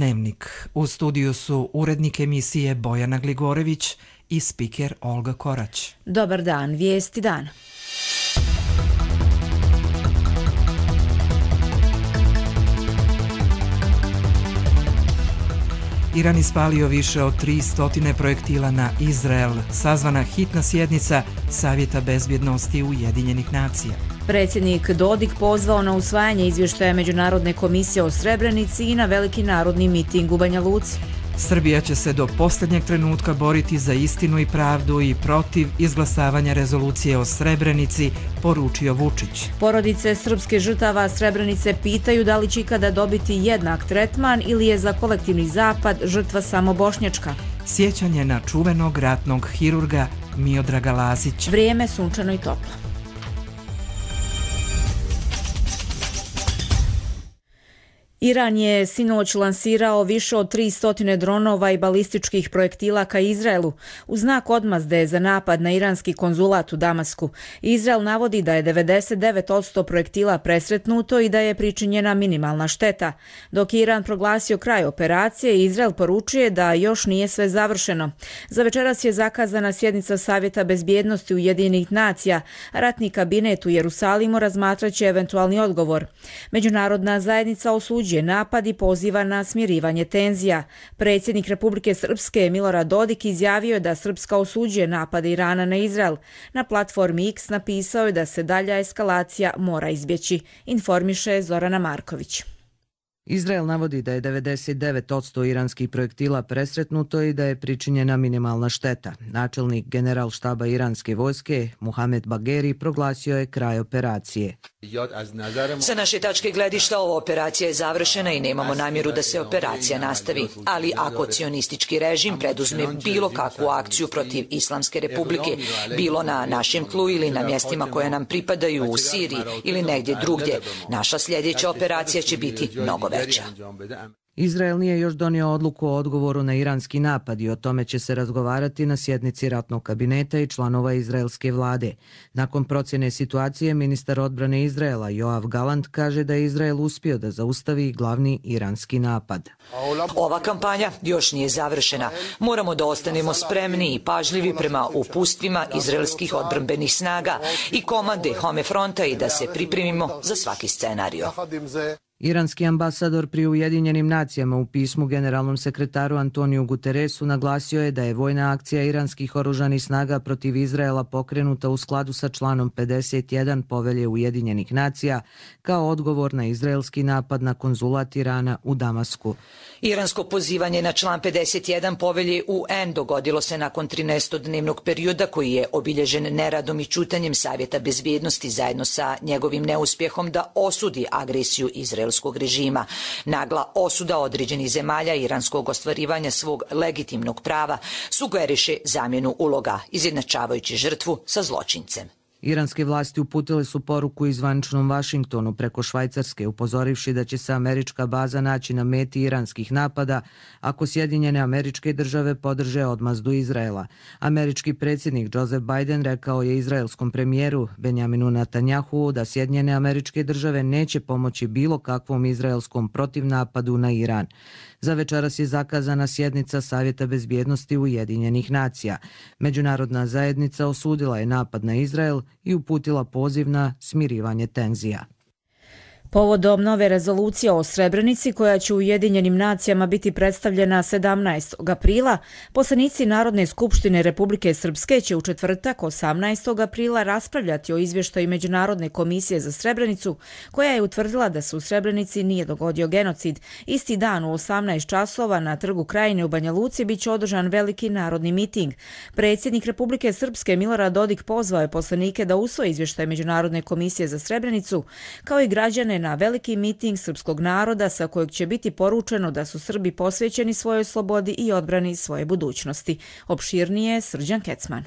Dnevnik. U studiju su urednik emisije Bojana Gligorević i spiker Olga Korać. Dobar dan, vijesti dana. Iran ispalio više od 300 projektila na Izrael. Sazvana hitna sjednica Savjeta bezbjednosti Ujedinjenih nacija. Predsjednik Dodik pozvao na usvajanje izvještaja Međunarodne komisije o Srebrenici i na veliki narodni miting u Banja Luci. Srbija će se do posljednjeg trenutka boriti za istinu i pravdu i protiv izglasavanja rezolucije o Srebrenici, poručio Vučić. Porodice srpske žrtava Srebrenice pitaju da li će ikada dobiti jednak tretman ili je za kolektivni zapad žrtva samo bošnjačka. Sjećanje na čuvenog ratnog hirurga Miodraga Lazića. Vrijeme sunčano i toplo. Iran je sinoć lansirao više od 300 dronova i balističkih projektila ka Izraelu u znak odmazde za napad na iranski konzulat u Damasku. Izrael navodi da je 99% projektila presretnuto i da je pričinjena minimalna šteta. Dok je Iran proglasio kraj operacije, Izrael poručuje da još nije sve završeno. Za večeras je zakazana sjednica Savjeta bezbjednosti Ujedinjenih nacija. Ratni kabinet u Jerusalimu razmatraće eventualni odgovor. Međunarodna zajednica osuđuje napad i poziva na smirivanje tenzija. Predsjednik Republike Srpske Milorad Dodik izjavio je da Srpska osuđuje napade Irana na Izrael. Na platformi X napisao je da se dalja eskalacija mora izbjeći, informiše Zorana Marković. Izrael navodi da je 99% iranskih projektila presretnuto i da je pričinjena minimalna šteta. Načelnik generalštaba iranske vojske, Muhamed Bagheri, proglasio je kraj operacije. Sa naše tačke gledišta ova operacija je završena i nemamo namjeru da se operacija nastavi. Ali ako cionistički režim preduzme bilo kakvu akciju protiv Islamske republike, bilo na našem tlu ili na mjestima koje nam pripadaju u Siriji ili negdje drugdje, naša sljedeća operacija će biti mnogo veća. Izrael nije još donio odluku o odgovoru na iranski napad i o tome će se razgovarati na sjednici ratnog kabineta i članova izraelske vlade. Nakon procjene situacije, ministar odbrane Izraela Joav Galant kaže da je Izrael uspio da zaustavi glavni iranski napad. Ova kampanja još nije završena. Moramo da ostanemo spremni i pažljivi prema upustvima izraelskih odbrambenih snaga i komande Home fronta i da se pripremimo za svaki scenario. Iranski ambasador pri Ujedinjenim nacijama u pismu generalnom sekretaru Antoniju Guterresu naglasio je da je vojna akcija iranskih oružanih snaga protiv Izraela pokrenuta u skladu sa članom 51 Povelje Ujedinjenih nacija kao odgovor na izraelski napad na konzulat Irana u Damasku. Iransko pozivanje na član 51 Povelje UN dogodilo se nakon 13-dnevnog perioda koji je obilježen neradom i ćutanjem Savjeta bezbjednosti zajedno sa njegovim neuspjehom da osudi agresiju izraelskog režima. Nagla osuda određenih zemalja iranskog ostvarivanja svog legitimnog prava sugeriše zamjenu uloga, izjednačavajući žrtvu sa zločincem. Iranske vlasti uputile su poruku i zvaničnom Vašingtonu preko Švajcarske, upozorivši da će se američka baza naći na meti iranskih napada ako Sjedinjene Američke Države podrže odmazdu Izraela. Američki predsjednik Joseph Biden rekao je izraelskom premijeru Benjaminu Netanjahu da Sjedinjene Američke Države neće pomoći bilo kakvom izraelskom protivnapadu na Iran. Za večeras je zakazana sjednica Savjeta bezbjednosti Ujedinjenih nacija. Međunarodna zajednica osudila je napad na Izrael i uputila poziv na smirivanje tenzija. Povodom nove rezolucije o Srebrenici koja će u Ujedinjenim nacijama biti predstavljena 17. aprila, poslanici Narodne skupštine Republike Srpske će u četvrtak 18. aprila raspravljati o izvještaju Međunarodne komisije za Srebrenicu koja je utvrdila da se u Srebrenici nije dogodio genocid. Isti dan u 18 časova na Trgu Krajine u Banja Luci biće održan veliki narodni miting. Predsjednik Republike Srpske Milorad Dodik pozvao je poslanike da usvoje izvještaj Međunarodne komisije za Srebrenicu kao i građane na veliki miting srpskog naroda sa kojeg će biti poručeno da su Srbi posvećeni svojoj slobodi i odbrani svoje budućnosti. Opširnije Srđan Kecman.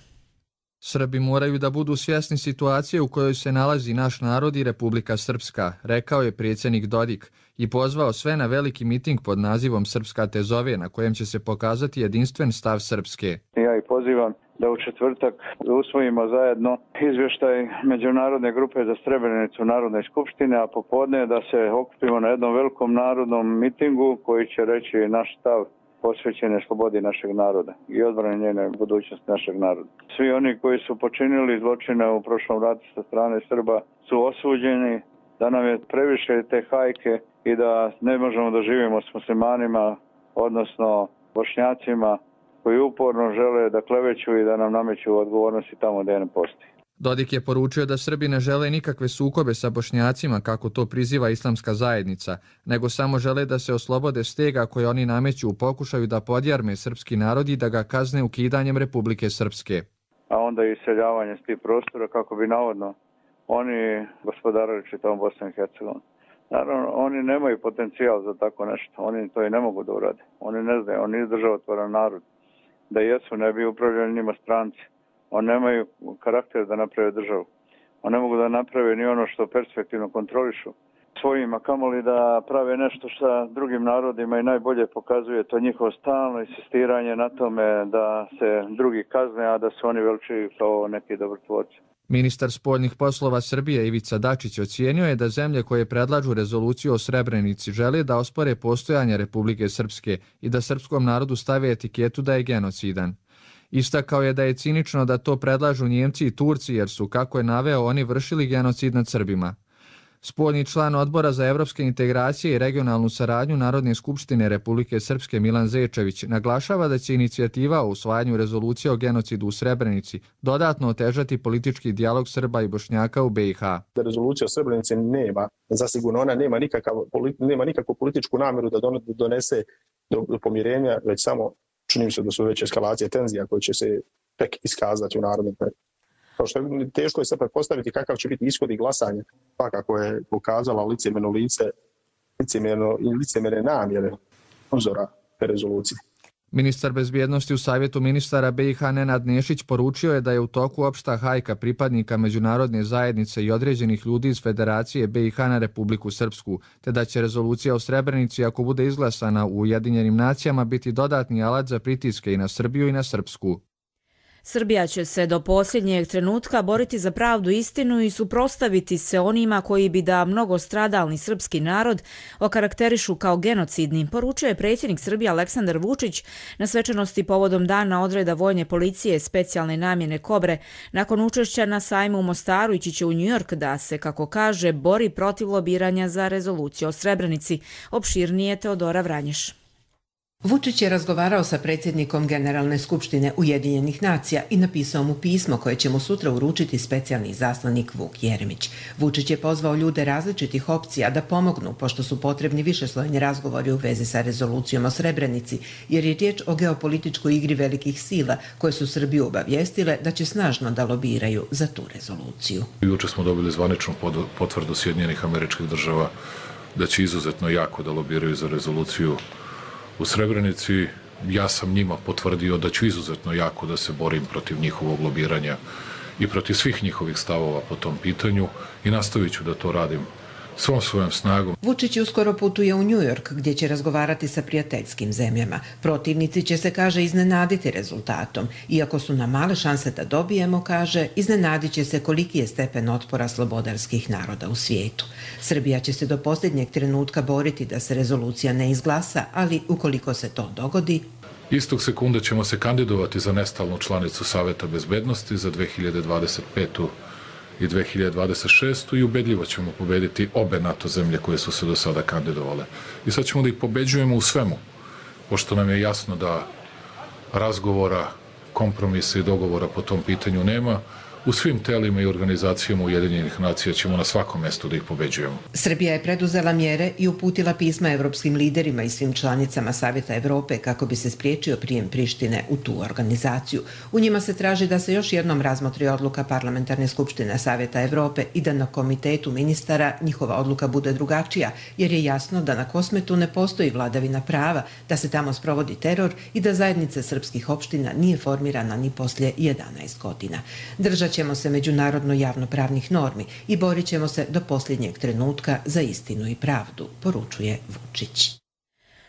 Srbi moraju da budu svjesni situacije u kojoj se nalazi naš narod i Republika Srpska, rekao je predsjednik Dodik i pozvao sve na veliki miting pod nazivom Srpska te zove, na kojem će se pokazati jedinstven stav Srpske. Ja ja i pozivam da u četvrtak usvojimo zajedno izvještaj Međunarodne grupe za Srebrenicu Narodne skupštine, a popodne da se okupimo na jednom velikom narodnom mitingu koji će reći naš stav posvećene slobodi našeg naroda i odbrane njene budućnosti našeg naroda. Svi oni koji su počinili zločine u prošlom ratu sa strane Srba su osuđeni, da nam je previše te hajke i da ne možemo da živimo s muslimanima, odnosno Bošnjacima koji uporno žele da kleveću i da nam nameću odgovornosti tamo gdje ne postoji. Dodik je poručio da Srbi ne žele nikakve sukobe sa Bošnjacima, kako to priziva islamska zajednica, nego samo žele da se oslobode stega koje oni nameću u pokušaju da podjarme srpski narod i da ga kazne ukidanjem Republike Srpske. A onda i iseljavanje s tih prostora kako bi navodno oni gospodarili čitavom Bosnom i Hercegovinom. Naravno, oni nemaju potencijal za tako nešto, oni to i ne mogu da urade. Oni ne znaju, oni nisu državotvoran narod. Da jesu, ne bi upravljali njima stranci. Oni nemaju karakter da naprave državu. Oni ne mogu da naprave ni ono što perspektivno kontrolišu svojima, kamoli da prave nešto sa drugim narodima i najbolje pokazuje to njihovo stalno insistiranje na tome da se drugi kazne, a da se oni veličaju kao neki dobrotvorci. Ministar spoljnih poslova Srbije Ivica Dačić ocijenio je da zemlje koje predlažu rezoluciju o Srebrenici žele da ospore postojanje Republike Srpske i da srpskom narodu stave etiketu da je genocidan. Istakao je da je cinično da to predlažu Njemci i Turci jer su, kako je naveo, oni vršili genocid nad Srbima. Spoljni član Odbora za evropske integracije i regionalnu saradnju Narodne skupštine Republike Srpske Milan Zečević naglašava da će inicijativa o usvajanju rezolucije o genocidu u Srebrenici dodatno otežati politički dijalog Srba i Bošnjaka u BiH. Da rezolucija o Srebrenici nema, zasigurno ona nema nikakvu političku namjeru da donese do pomirenja, već samo čini mi se da su već eskalacije tenzija koje će se tek iskazati u narodnom periodu. Kao što je teško je sad pretpostaviti kakav će biti ishod i glasanje, pa kako je pokazala licemjerne namjere uzora te rezolucije. Ministar bezbjednosti u Savjetu ministara BiH Nenad Nešić poručio je da je u toku opšta hajka pripadnika međunarodne zajednice i određenih ljudi iz Federacije BiH na Republiku Srpsku, te da će rezolucija o Srebrenici, ako bude izglasana u Ujedinjenim nacijama, biti dodatni alat za pritiske i na Srbiju i na Srpsku. Srbija će se do posljednjeg trenutka boriti za pravdu i istinu i suprotstaviti se onima koji bi da mnogostradalni srpski narod okarakterišu kao genocidni, poručio je predsjednik Srbije Aleksandar Vučić na svečanosti povodom Dana odreda vojne policije specijalne namjene Kobre nakon učešća na sajmu u Mostaru ići će u Njujork da se, kako kaže, bori protiv lobiranja za rezoluciju o Srebrenici. Opširnije Teodora Vranješ. Vučić je razgovarao sa predsjednikom Generalne skupštine Ujedinjenih nacija i napisao mu pismo koje će mu sutra uručiti specijalni izaslanik Vuk Jeremić. Vučić je pozvao ljude različitih opcija da pomognu, pošto su potrebni višeslojni razgovori u vezi sa rezolucijom o Srebrenici, jer je riječ o geopolitičkoj igri velikih sila koje su Srbiju obavijestile da će snažno da lobiraju za tu rezoluciju. Juče smo dobili zvaničnu potvrdu Sjedinjenih Američkih Država da će izuzetno jako da lobiraju za rezoluciju u Srebrenici. Ja sam njima potvrdio da ću izuzetno jako da se borim protiv njihovog lobiranja i protiv svih njihovih stavova po tom pitanju i nastavit ću da to radim svom svojom snagom. Vučić uskoro putuje u Njujork gdje će razgovarati sa prijateljskim zemljama. Protivnici će se, kaže, iznenaditi rezultatom. Iako su nam male šanse da dobijemo, kaže, iznenadit će se koliki je stepen otpora slobodarskih naroda u svijetu. Srbija će se do posljednjeg trenutka boriti da se rezolucija ne izglasa, ali ukoliko se to dogodi... Istog sekunda ćemo se kandidovati za nestalnu članicu Saveta bezbednosti za 2025. i 2026. i ubedljivo ćemo pobediti obe NATO zemlje koje su se do sada kandidovale. I sad ćemo da ih pobeđujemo u svemu, pošto nam je jasno da razgovora, kompromisa i dogovora po tom pitanju nema. U svim telima i organizacijama Ujedinjenih nacija ćemo na svakom mjestu da ih pobeđujemo. Srbija je preduzela mjere i uputila pisma evropskim liderima i svim članicama Savjeta Evrope kako bi se spriječio prijem Prištine u tu organizaciju. U njima se traži da se još jednom razmotri odluka Parlamentarne skupštine Savjeta Evrope i da na komitetu ministara njihova odluka bude drugačija, jer je jasno da na Kosmetu ne postoji vladavina prava, da se tamo sprovodi teror i da zajednica srpskih opština nije formirana ni poslije 11 godina. Držat ćemo se međunarodno javnopravnih normi i borit ćemo se do posljednjeg trenutka za istinu i pravdu, poručuje Vučić.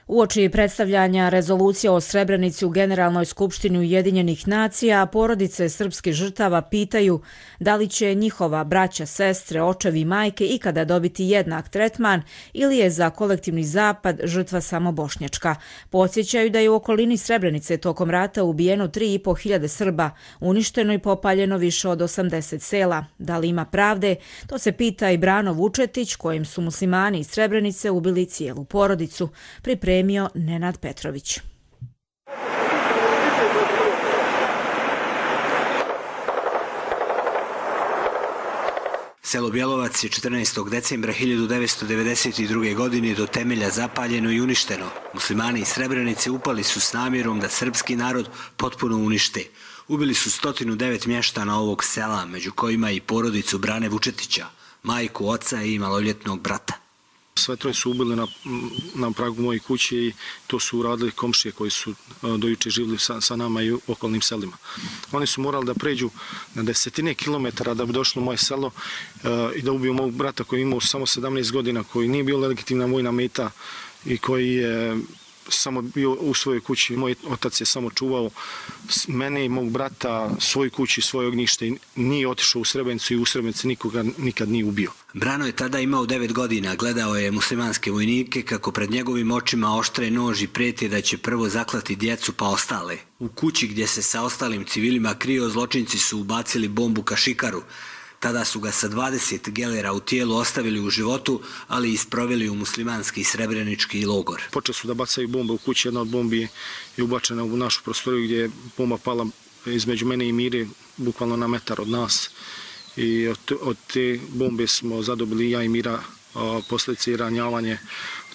Uoči predstavljanja rezolucije o Srebrenici u Generalnoj skupštini Ujedinjenih nacija, porodice srpskih žrtava pitaju da li će njihova braća, sestre, očevi i majke ikada dobiti jednak tretman ili je za kolektivni zapad žrtva samo bošnjačka. Podsjećaju da je u okolini Srebrenice tokom rata ubijeno 3.500 Srba, uništeno i popaljeno više od 80 sela. Da li ima pravde? To se pita i Brano Vučetić, kojim su muslimani iz Srebrenice ubili cijelu porodicu. Pripremio Nenad Petrović. Selo Bjelovac je 14. decembra 1992. godine do temelja zapaljeno i uništeno. Muslimani iz Srebrenice upali su s namjerom da srpski narod potpuno unište. Ubili su 109 mještana ovog sela, među kojima i porodicu Brane Vučetića, majku, oca i maloljetnog brata. Sve troje su ubili na pragu moje kuće i to su uradili komšije koji su dojuče živjeli sa nama i u okolnim selima. Oni su morali da pređu na desetine kilometara da bi došli u moje selo i da ubiju mog brata koji je imao samo 17 godina, koji nije bio legitimna vojna meta i koji je samo bio u svojoj kući. Moj otac je samo čuvao mene i mog brata, svoju kuću i svoje ognjište i nije otišao u Srebrenicu i u Srebrenici nikoga nikad nije ubio. Brano je tada imao 9 godina, gledao je muslimanske vojnike kako pred njegovim očima oštre nož i prijeti da će prvo zaklati djecu pa ostale. U kući gdje se sa ostalim civilima krio, zločinci su ubacili bombu kašikaru. Tada su ga sa 20 gelera u tijelu ostavili u životu, ali i sproveli u muslimanski srebrenički logor. Počeli su da bacaju bombe u kući, jedna od bombi je ubačena u našu prostoriju gdje je bomba pala između mene i Mire, bukvalno na metar od nas. I od te bombe smo zadobili ja i Mira posljedice i ranjavanje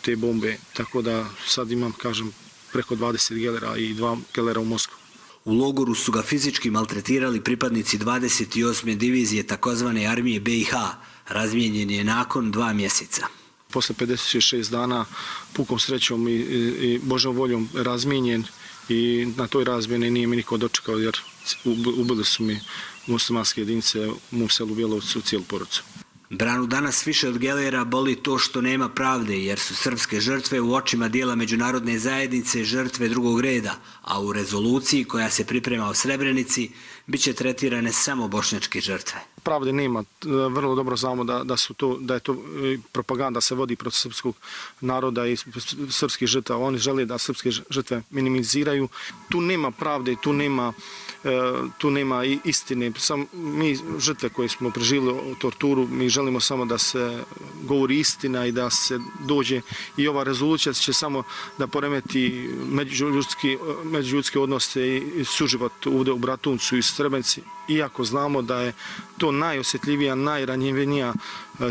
te bombe, tako da sad imam, kažem, preko 20 gelera i 2 gelera u mozgu. U logoru su ga fizički maltretirali pripadnici 28. divizije takozvane armije BiH. Razmijenjen je nakon 2 mjeseca. Posle 56 dana pukom srećom i Božjom voljom razmijenjen i na toj razmjeni nije mi niko dočekao jer ubili su mi muslimanske jedinice u mom selu Bjelovcu cijelu porodicu. Branu danas više od gelera boli to što nema pravde jer su srpske žrtve u očima dijela međunarodne zajednice žrtve drugog reda, a u rezoluciji koja se priprema o Srebrenici bit će tretirane samo bošnjačke žrtve. Pravde nema. Vrlo dobro znamo da je to propaganda se vodi protiv srpskog naroda i srpskih žrtava. Oni žele da srpske žrtve minimiziraju. Tu nema pravde, tu nema istine. Mi žrtve koje smo preživjeli torturu, mi želimo samo da se govori istina i da se dođe i ova rezolucija će samo da poremeti međuljudske odnose i suživot ovdje u Bratuncu i Srebrenici. Iako znamo da je to najosjetljivija, najranjivija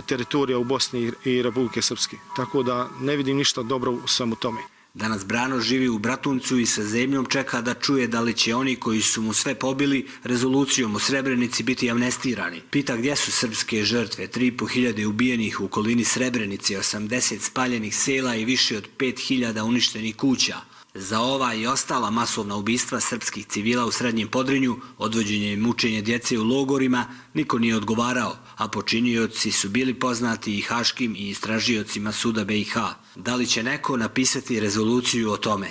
teritorija u Bosni i Republike Srpske. Tako da ne vidim ništa dobro u svemu tome. Danas Brano živi u Bratuncu i sa zemljom čeka da čuje da li će oni koji su mu sve pobili rezolucijom o Srebrenici biti amnestirani. Pita gdje su srpske žrtve, 3.500 ubijenih u okolini Srebrenice, 80 spaljenih sela i više od 5.000 uništenih kuća. Za ova i ostala masovna ubistva srpskih civila u Srednjem Podrinju, odvođenje i mučenje djece u logorima, niko nije odgovarao, a počinioci su bili poznati i haškim i istražiocima suda BiH. Da li će neko napisati rezoluciju o tome?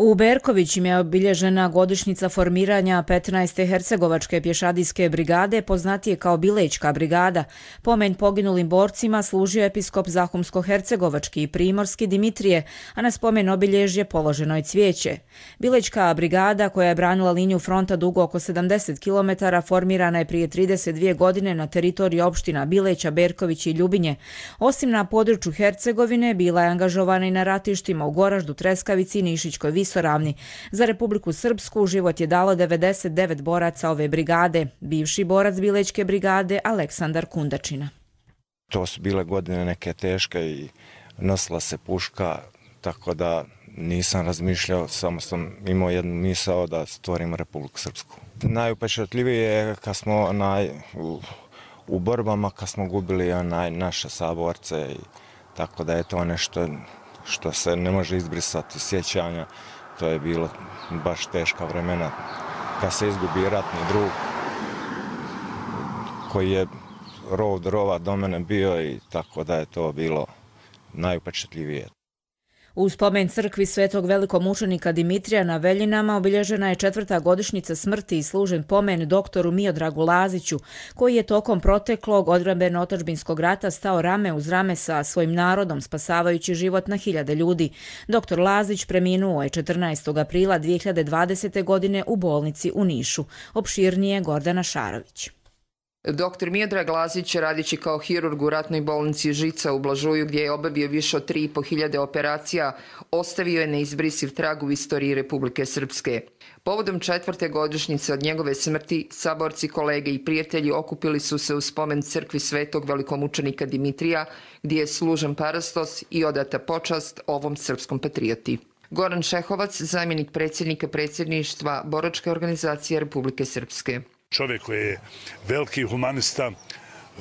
U Berkovićima je obilježena godišnjica formiranja 15. Hercegovačke pješadijske brigade, poznatije kao Bilećka brigada. Pomen poginulim borcima služio episkop Zahumsko-hercegovački i primorski Dimitrije, a na spomen obilježje položeno je cvijeće. Bilećka brigada, koja je branila liniju fronta dugo oko 70 km, formirana je prije 32 godine na teritoriji opština Bileća, Berković i Ljubinje. Osim na području Hercegovine, bila je angažovana i na ratištima u Goraždu, Treskavici i Nišićkoj Visoravni. Za Republiku Srpsku život je dalo 99 boraca ove brigade. Bivši borac Bilećke brigade Aleksandar Kundačina. To su bile godine neke teške i nosila se puška, tako da nisam razmišljao, samo sam imao jednu misao da stvorimo Republiku Srpsku. Najupečatljivije je kad smo u borbama, kad smo gubili naše saborce, tako da je to nešto što se ne može izbrisati sjećanja. To je bilo baš teška vremena kad se izgubi ratni drug koji je rov do rova do mene bio i tako da je to bilo najupečatljivije. U spomen crkvi svetog velikomučenika Dimitrija na Veljinama obilježena je 4. godišnjica smrti i služen pomen doktoru Miodragu Laziću, koji je tokom proteklog odbrambeno-otadžbinskog rata stao rame uz rame sa svojim narodom, spasavajući život na hiljade ljudi. Doktor Lazić preminuo je 14. aprila 2020. godine u bolnici u Nišu. Opširnije Gordana Šarović. Doktor Miodrag Lazić, radići kao hirurg u ratnoj bolnici Žica u Blažuju, gdje je obavio više od 3.500 operacija, ostavio je neizbrisiv trag u istoriji Republike Srpske. Povodom 4. godišnjice od njegove smrti, saborci, kolege i prijatelji okupili su se u spomen crkvi svetog velikomučenika Dimitrija, gdje je služen parastos i odata počast ovom srpskom patrioti. Goran Šehovac, zamjenik predsjednika predsjedništva Boračke organizacije Republike Srpske. Čovjek koji je veliki humanista,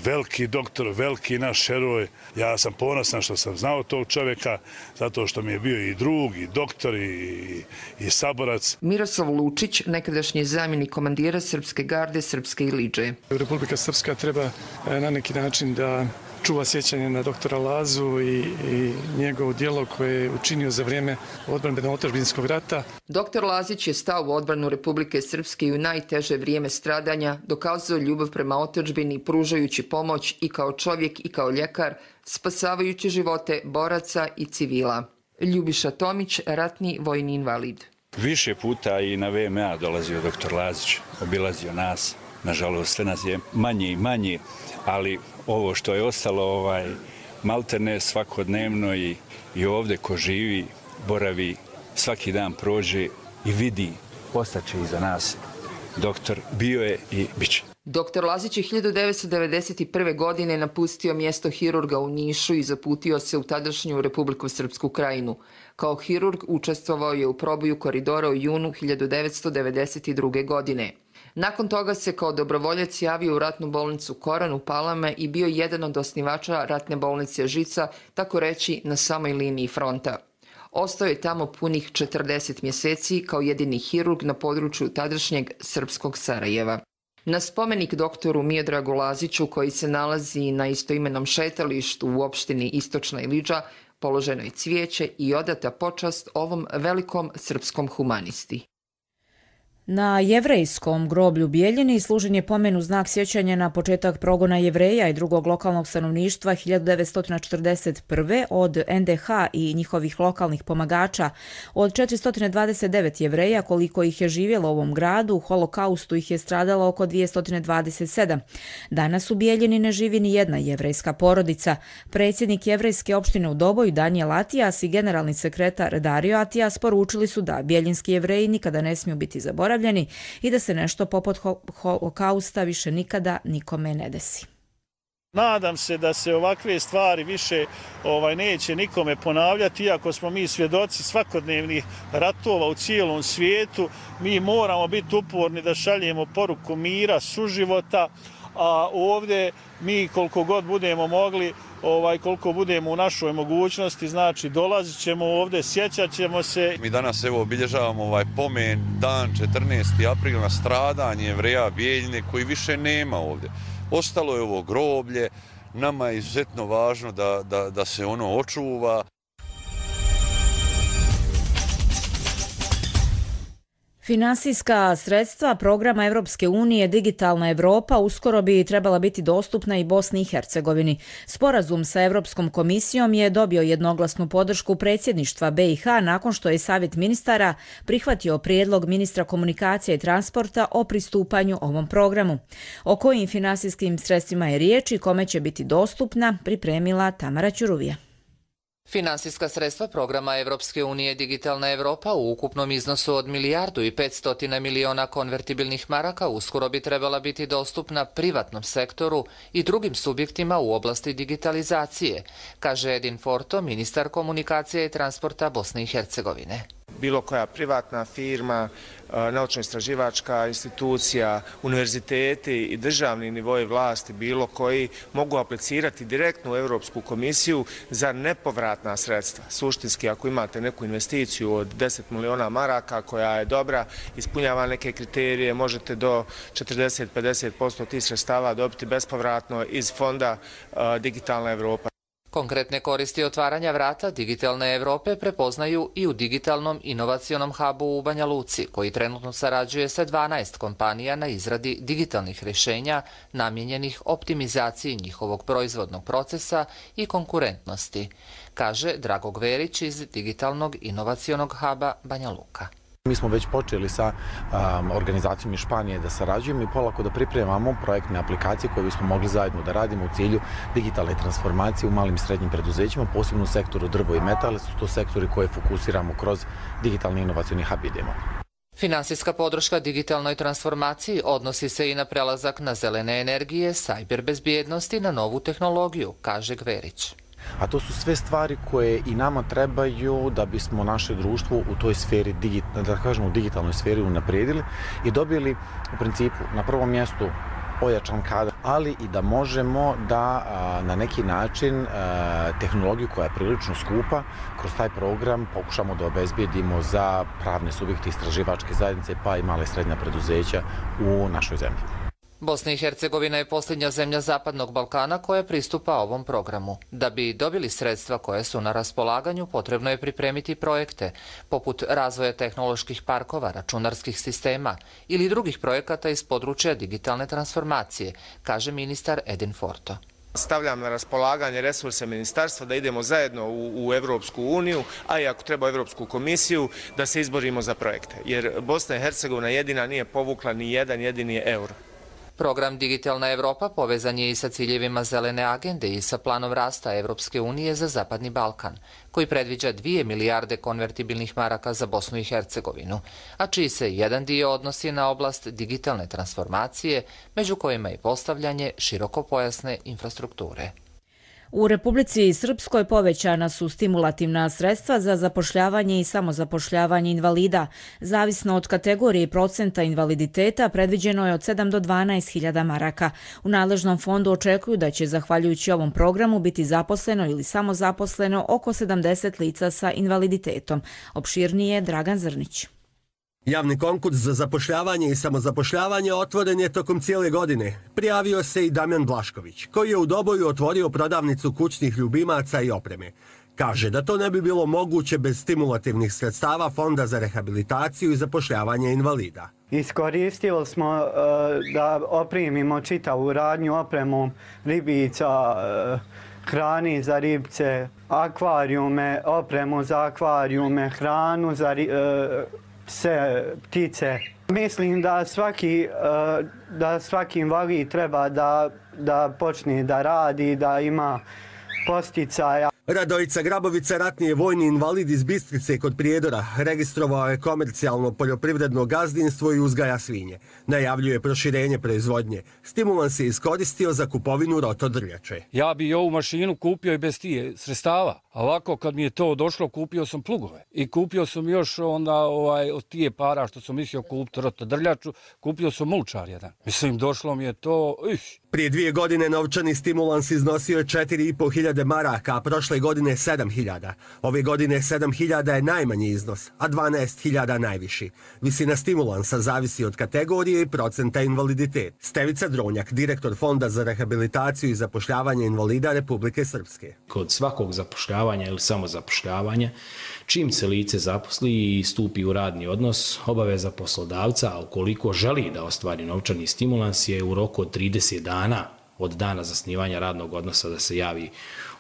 veliki doktor, veliki naš heroj. Ja sam ponosan što sam znao tog čovjeka, zato što mi je bio i drug, i doktor, i saborac. Miroslav Lučić, nekadašnji zamjenik komandira Srpske garde, Srpske Iliđe. Republika Srpska treba na neki način da čuva sjećanje na doktora Lazu i njegov djelo koje je učinio za vrijeme odbrambeno-otadžbinskog rata. Doktor Lazić je stao u odbranu Republike Srpske i u najteže vrijeme stradanja dokazao ljubav prema otadžbini, pružajući pomoć i kao čovjek i kao ljekar, spasavajući živote boraca i civila. Ljubiša Tomić, ratni vojni invalid. Više puta i na VMA dolazio doktor Lazić, obilazio nas. Nažalost, sve nas je manje i manje, ali ovo što je ostalo maltene svakodnevno i ovdje ko živi, boravi, svaki dan prođe i vidi, ostaće iza nas. Doktor bio je i bit će. Doktor Lazić je 1991. godine napustio mjesto hirurga u Nišu i zaputio se u tadašnju Republiku Srpsku Krajinu. Kao hirurg učestvovao je u proboju koridora u junu 1992. godine. Nakon toga se kao dobrovoljac javio u ratnu bolnicu Koran u Palama i bio jedan od osnivača ratne bolnice Žica, tako reći na samoj liniji fronta. Ostao je tamo punih 40 mjeseci kao jedini hirurg na području tadašnjeg srpskog Sarajeva. Na spomenik doktoru Miodragu Laziću, koji se nalazi na istoimenom šetalištu u opštini Istočna Iliđa, položeno je cvijeće i odata počast ovom velikom srpskom humanisti. Na jevrejskom groblju Bijeljini služen je pomen u znak sjećanja na početak progona Jevreja i drugog lokalnog stanovništva 1941. od NDH i njihovih lokalnih pomagača. Od 429 Jevreja, koliko ih je živjelo u ovom gradu, u holokaustu ih je stradalo oko 227. Danas u Bijeljini ne živi ni jedna jevrejska porodica. Predsjednik jevrejske opštine u Doboju Danijel Atijas i generalni sekretar Dario Atijas poručili su da bijeljinski Jevreji nikada ne smiju biti zaboravljeni i da se nešto poput holokausta više nikada nikome ne desi. Nadam se da se ovakve stvari više neće nikome ponavljati, iako smo mi svjedoci svakodnevnih ratova u cijelom svijetu. Mi moramo biti uporni da šaljemo poruku mira, suživota, a ovdje mi koliko god budemo mogli, koliko budemo u našoj mogućnosti, znači dolazit ćemo ovdje, sjećat ćemo se. Mi danas obilježavamo pomen dan 14. april na stradanje Jevreja Bijeljine koji više nema ovdje. Ostalo je ovo groblje, nama je izuzetno važno da se ono očuva. Finansijska sredstva programa Evropske unije Digitalna Evropa uskoro bi trebala biti dostupna i Bosni i Hercegovini. Sporazum sa Evropskom komisijom je dobio jednoglasnu podršku predsjedništva BiH nakon što je Savjet ministara prihvatio prijedlog ministra komunikacije i transporta o pristupanju ovom programu. O kojim finansijskim sredstvima je riječ i kome će biti dostupna, pripremila Tamara Ćuruvija. Finansijska sredstva programa Evropske unije Digitalna Evropa u ukupnom iznosu od 1.500 miliona konvertibilnih maraka uskoro bi trebala biti dostupna privatnom sektoru i drugim subjektima u oblasti digitalizacije, kaže Edin Forto, ministar komunikacije i transporta Bosne i Hercegovine. Bilo koja privatna firma, naučno-istraživačka institucija, univerziteti i državni nivoji vlasti, bilo koji, mogu aplicirati direktno u Europsku komisiju za nepovratna sredstva. Suštinski, ako imate neku investiciju od 10 miliona maraka koja je dobra, ispunjava neke kriterije, možete do 40-50% tih sredstava dobiti bespovratno iz fonda Digitalna Evropa. Konkretne koristi otvaranja vrata digitalne Evrope prepoznaju i u digitalnom inovacionom hubu u Banja Luci, koji trenutno sarađuje sa 12 kompanija na izradi digitalnih rješenja namijenjenih optimizaciji njihovog proizvodnog procesa i konkurentnosti, kaže Drago Gverić iz digitalnog inovacionog huba Banja Luka. Mi smo već počeli sa organizacijom iz Španije da sarađujemo i polako da pripremamo projektne aplikacije koje bismo mogli zajedno da radimo u cilju digitalne transformacije u malim i srednjim preduzećima, posebno u sektoru drvo i metale, su to sektori koje fokusiramo kroz digitalni inovacioni hub idemo. Finansijska podrška digitalnoj transformaciji odnosi se i na prelazak na zelene energije, sajber bezbjednosti, na novu tehnologiju, kaže Gverić. A to su sve stvari koje i nama trebaju da bismo naše društvo u toj sferi, da kažemo u digitalnoj sferi unaprijedili i dobili u principu na prvom mjestu ojačan kadar, ali i da možemo da na neki način tehnologiju koja je prilično skupa kroz taj program pokušamo da obezbijedimo za pravne subjekte, istraživačke zajednice pa i male i srednja preduzeća u našoj zemlji. Bosna i Hercegovina je posljednja zemlja Zapadnog Balkana koja pristupa ovom programu. Da bi dobili sredstva koje su na raspolaganju, potrebno je pripremiti projekte, poput razvoja tehnoloških parkova, računarskih sistema ili drugih projekata iz područja digitalne transformacije, kaže ministar Edin Forto. Stavljam na raspolaganje resurse ministarstva da idemo zajedno u Evropsku uniju, a i ako treba Evropsku komisiju, da se izborimo za projekte. Jer Bosna i Hercegovina jedina nije povukla ni jedan jedini euro. Program Digitalna Evropa povezan je i sa ciljevima zelene agende i sa planom rasta Evropske unije za Zapadni Balkan, koji predviđa 2 milijarde konvertibilnih maraka za Bosnu i Hercegovinu, a čiji se jedan dio odnosi na oblast digitalne transformacije, među kojima i postavljanje širokopojasne infrastrukture. U Republici Srpskoj povećana su stimulativna sredstva za zapošljavanje i samozapošljavanje invalida. Zavisno od kategorije i procenta invaliditeta, predviđeno je od 7 do 12.000 maraka. U nadležnom fondu očekuju da će, zahvaljujući ovom programu, biti zaposleno ili samozaposleno oko 70 lica sa invaliditetom. Opširnije Dragan Zrnić. Javni konkurs za zapošljavanje i samozapošljavanje otvoren je tokom cijele godine. Prijavio se i Damjan Blašković, koji je u Doboju otvorio prodavnicu kućnih ljubimaca i opreme. Kaže da to ne bi bilo moguće bez stimulativnih sredstava Fonda za rehabilitaciju i zapošljavanje invalida. Iskoristili smo da opremimo čitavu radnju opremom ribica, hrani za ribice, akvarijume, opremu za akvarijume, hranu za pse, ptice. Mislim da svaki invalid treba da počne da radi, da ima posticaja. Radojica Grabovica, ratni je vojni invalid iz Bistrice kod Prijedora. Registrovao je komercijalno poljoprivredno gazdinstvo i uzgaja svinje. Najavljuje proširenje proizvodnje. Stimulans je iskoristio za kupovinu rotodrljače. Ja bi ovu mašinu kupio i bez tije sredstava. A ovako kad mi je to došlo, kupio sam plugove. I kupio sam još onda od tije para što sam mislio kupiti rotodrljaču, kupio sam mulčar jedan. Mislim, došlo mi je to... Prije 2 godine novčani stimulans iznosio je 4.500 maraka, a prošle godine 7.000. Ove godine 7.000 je najmanji iznos, a 12.000 najviši. Visina stimulansa zavisi od kategorije i procenta invaliditet. Stevica Dronjak, direktor Fonda za rehabilitaciju i zapošljavanje invalida Republike Srpske. Kod svakog zapošljavanja ili samozapošljavanja, čim se lice zaposli i stupi u radni odnos, obaveza poslodavca, a ukoliko želi da ostvari novčani stimulans, je u roku od 30 dana od dana zasnivanja radnog odnosa da se javi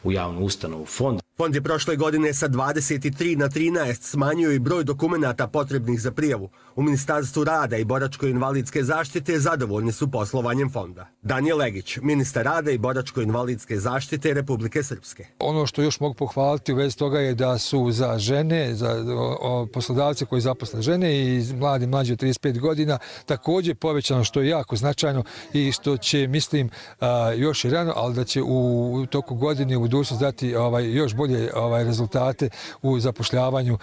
u javnu ustanovu fond. Fond je prošle godine sa 23 na 13 smanjio i broj dokumenata potrebnih za prijavu. U Ministarstvu rada i boračko-invalidske zaštite zadovoljni su poslovanjem fonda. Danijel Legić, ministar rada i boračko-invalidske zaštite Republike Srpske. Ono što još mogu pohvaliti u vezi toga je da su za žene, za poslodavce koji zaposle žene i mlađi od 35 godina također povećano, što je jako značajno i što će, mislim, još i rano, ali da će u toku godine u budućnosti dati još bolje rezultate u zapošljavanju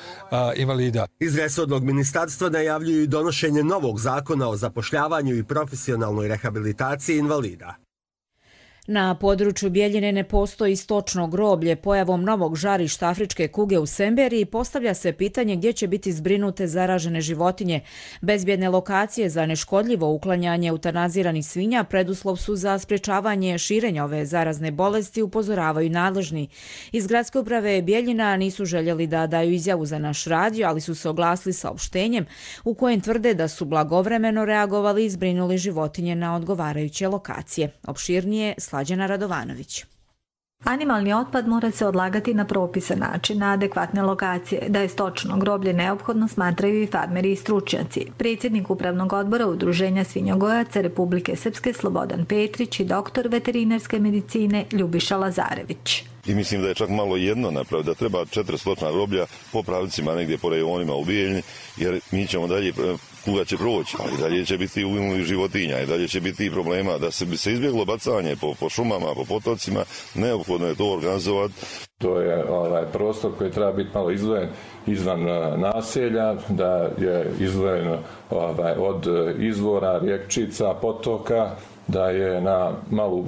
invalida. Iz resornog ministarstva najavljuju i donošenje novog zakona o zapošljavanju i profesionalnoj rehabilitaciji invalida. Na području Bjeljine ne postoji stočno groblje. Pojavom novog žarišta afričke kuge u Semberiji postavlja se pitanje gdje će biti zbrinute zaražene životinje. Bezbjedne lokacije za neškodljivo uklanjanje eutanaziranih svinja preduslov su za sprječavanje širenja ove zarazne bolesti, upozoravaju nadležni. Iz gradske uprave Bjeljina nisu željeli da daju izjavu za naš radio, ali su se oglasili saopštenjem u kojem tvrde da su blagovremeno reagovali i zbrinuli životinje na odgovarajuće lokacije. Opširnije Slađana Radovanović. Animalni otpad mora se odlagati na propisan način na adekvatne lokacije. Da je stočno groblje neophodno smatraju i farmeri i stručnjaci. Predsjednik Upravnog odbora Udruženja svinjogojaca Republike Srpske Slobodan Petrić i doktor veterinarske medicine Ljubiša Lazarević. I mislim da je čak malo jedno napraviti, da treba 4 stočna groblja po pravicima negdje po rejonima u Bijeljni, jer mi ćemo dalje, kuga će proći, ali dalje će biti uginulih životinja i dalje će biti problema. Da se bi se izbjeglo bacanje po šumama, po potocima, neophodno je to organizovati. To je prostor koji treba biti malo izdvojen izvan naselja, da je izdvojeno od izvora, rijekčica, potoka, da je na malo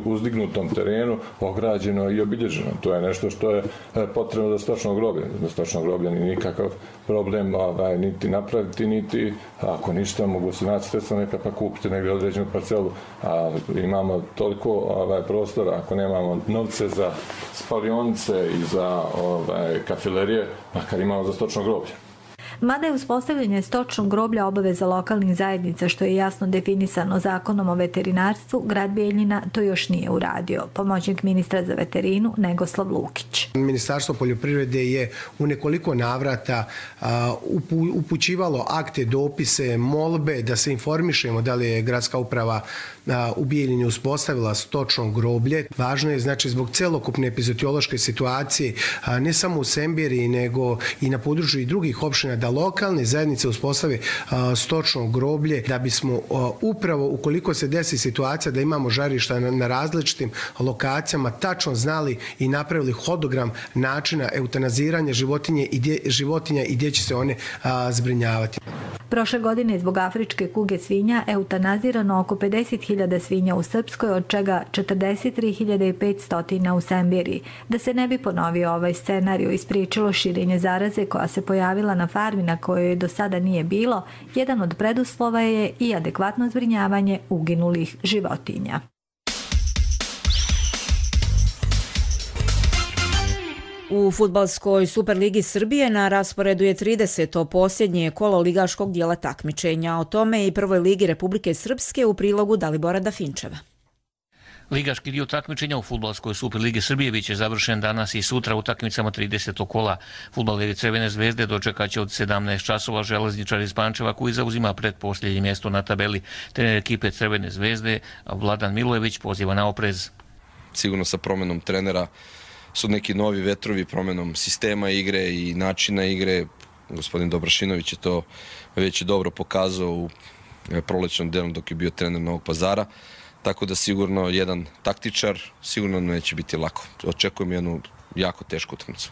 uzdignutom terenu ograđeno i obilježeno. To je nešto što je potrebno za stočno groblje. Za stočno groblje ni nikakav problem niti napraviti, niti ako ništa mogu se naći sredstva neka pa kupiti negdje određenu parcelu. A imamo toliko prostora, ako nemamo novce za spalionice i za kafilerije, makar imamo za stočno groblje. Mada je uspostavljanje stočnog groblja obaveza lokalnih zajednica, što je jasno definisano zakonom o veterinarstvu, grad Bjeljina to još nije uradio. Pomoćnik ministra za veterinu Negoslav Lukić. Ministarstvo poljoprivrede je u nekoliko navrata upućivalo akte, dopise, molbe da se informišemo da li je gradska uprava u Bjeljini uspostavila stočno groblje. Važno je znači zbog celokupne epizodiološke situacije, ne samo u Semberiji nego i na području i drugih opština, da lokalne zajednice uspostave stočno groblje, da bismo upravo ukoliko se desi situacija da imamo žarišta na različitim lokacijama tačno znali i napravili hodogram načina eutanaziranja životinja i gdje će se one zbrinjavati. Prošle godine zbog afričke kuge svinja eutanazirano oko 50.000 svinja u Srpskoj, od čega 43.500 u Semberiji. Da se ne bi ponovio ovaj scenarij i spriječilo širenje zaraze koja se pojavila na farmi na kojoj do sada nije bilo, jedan od preduslova je i adekvatno zbrinjavanje uginulih životinja. U fudbalskoj Superligi Srbije na rasporedu je 30. posljednje kolo ligaškog dijela takmičenja. O tome i prvoj ligi Republike Srpske u prilogu Dalibora Dafinčeva. Ligaški dio takmičenja u fudbalskoj Superligi Srbije biće završen danas i sutra utakmicama 30. kola. Fudbaleri Crvene zvezde dočekat će od 17 časova železničar iz Pančeva koji zauzima pretposljednje mjesto na tabeli. Trener ekipe Crvene zvezde Vladan Milojević poziva na oprez. Sigurno sa promjenom trenera su neki novi vetrovi, promjenom sistema igre i načina igre. Gospodin Dobrašinović je to već dobro pokazao u prolećnom delu dok je bio trener Novog Pazara. Tako da sigurno jedan taktičar sigurno neće biti lako. Očekujem jednu jako tešku utakmicu.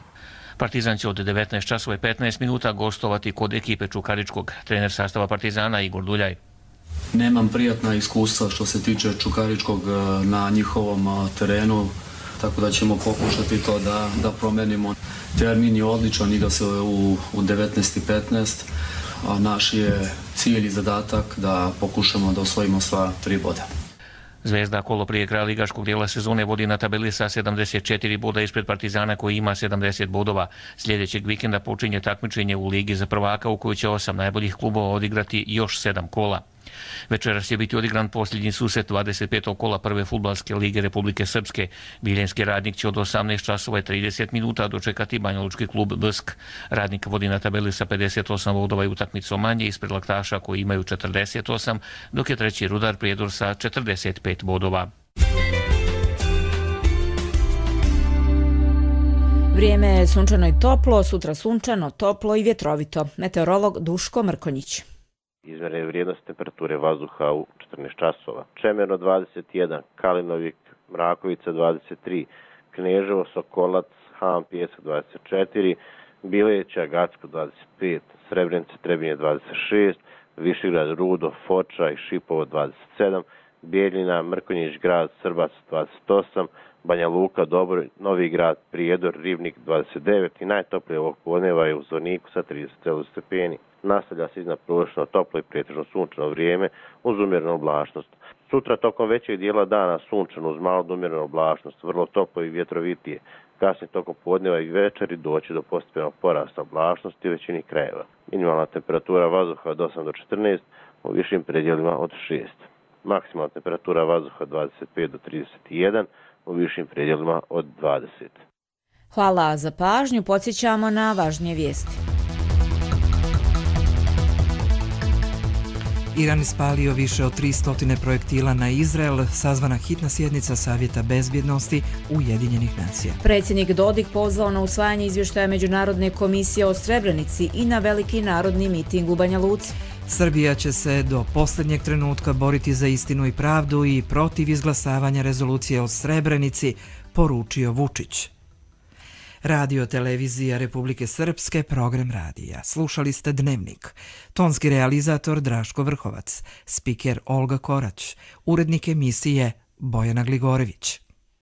Partizan će od 19 časova i 15 minuta gostovati kod ekipe Čukaričkog. Trener sastava Partizana Igor Duljaj. Nemam prijatna iskustva što se tiče Čukaričkog na njihovom terenu, tako da ćemo pokušati to da promenimo. Termin je odličan, igra se u 19:15, a naš je cilj i zadatak da pokušamo da osvojimo sva 3 boda. Zvezda kolo prije kraja ligaškog dijela sezone vodi na tabeli sa 74 boda ispred Partizana koji ima 70 bodova. Sljedećeg vikenda počinje takmičenje u Ligi za prvaka u kojoj će 8 najboljih klubova odigrati još 7 kola. Večeras će biti odigran posljednji susret 25. kola prve fudbalske lige Republike Srpske. Biljenski Radnik će od 18 časova i 30 minuta dočekati banjalučki klub BSK. Radnik vodi na tabeli sa 58 bodova i utakmicom manje ispred Laktaša koji imaju 48, dok je treći Rudar Prijedor sa 45 bodova. Vrijeme je sunčano i toplo, sutra sunčano, toplo i vjetrovito. Meteorolog Duško Mrkonjić. Izmjerene vrijednosti temperature vazduha u 14 časova. Čemerno 21, Kalinovik, Mrakovica 23, Kneževo, Sokolac, Han, Pjesak 24, Bileća, Gacko 25, Srebrenica, Trebinje 26, Višegrad, Rudo, Foča i Šipovo 27, Bijeljina, Mrkonjić grad, Srbac 28, Banja Luka, Dobro, Novi grad, Prijedor, Ribnik 29 i najtoplije ovog podneva je u Zvorniku sa 30 stepeni. Nastavlja se iznadprosečno toplo i pretežno sunčano vrijeme uz umjerenu oblačnost. Sutra tokom većeg dijela dana sunčano uz malo umjerenu oblačnost, vrlo toplo i vjetrovitije. Kasnije tokom podneva i večeri doći do postepenog porasta oblačnosti u većini krajeva. Minimalna temperatura vazduha od 8 do 14, u višim predjelima od 6. Maksimalna temperatura vazduha 25 do 31, u višim predjelima od 20. Hvala za pažnju, podsjećamo na važnije vijesti. Iran ispalio više od 300 projektila na Izrael, sazvana hitna sjednica Savjeta bezbjednosti Ujedinjenih nacija. Predsjednik Dodik pozvao na usvajanje izvještaja Međunarodne komisije o Srebrenici i na veliki narodni miting u Banja Luci. Srbija će se do posljednjeg trenutka boriti za istinu i pravdu i protiv izglasavanja rezolucije o Srebrenici, poručio Vučić. Radio televizija Republike Srpske, program radija. Slušali ste Dnevnik. Tonski realizator Draško Vrhovac, spiker Olga Korać, urednik emisije Bojana Gligorević.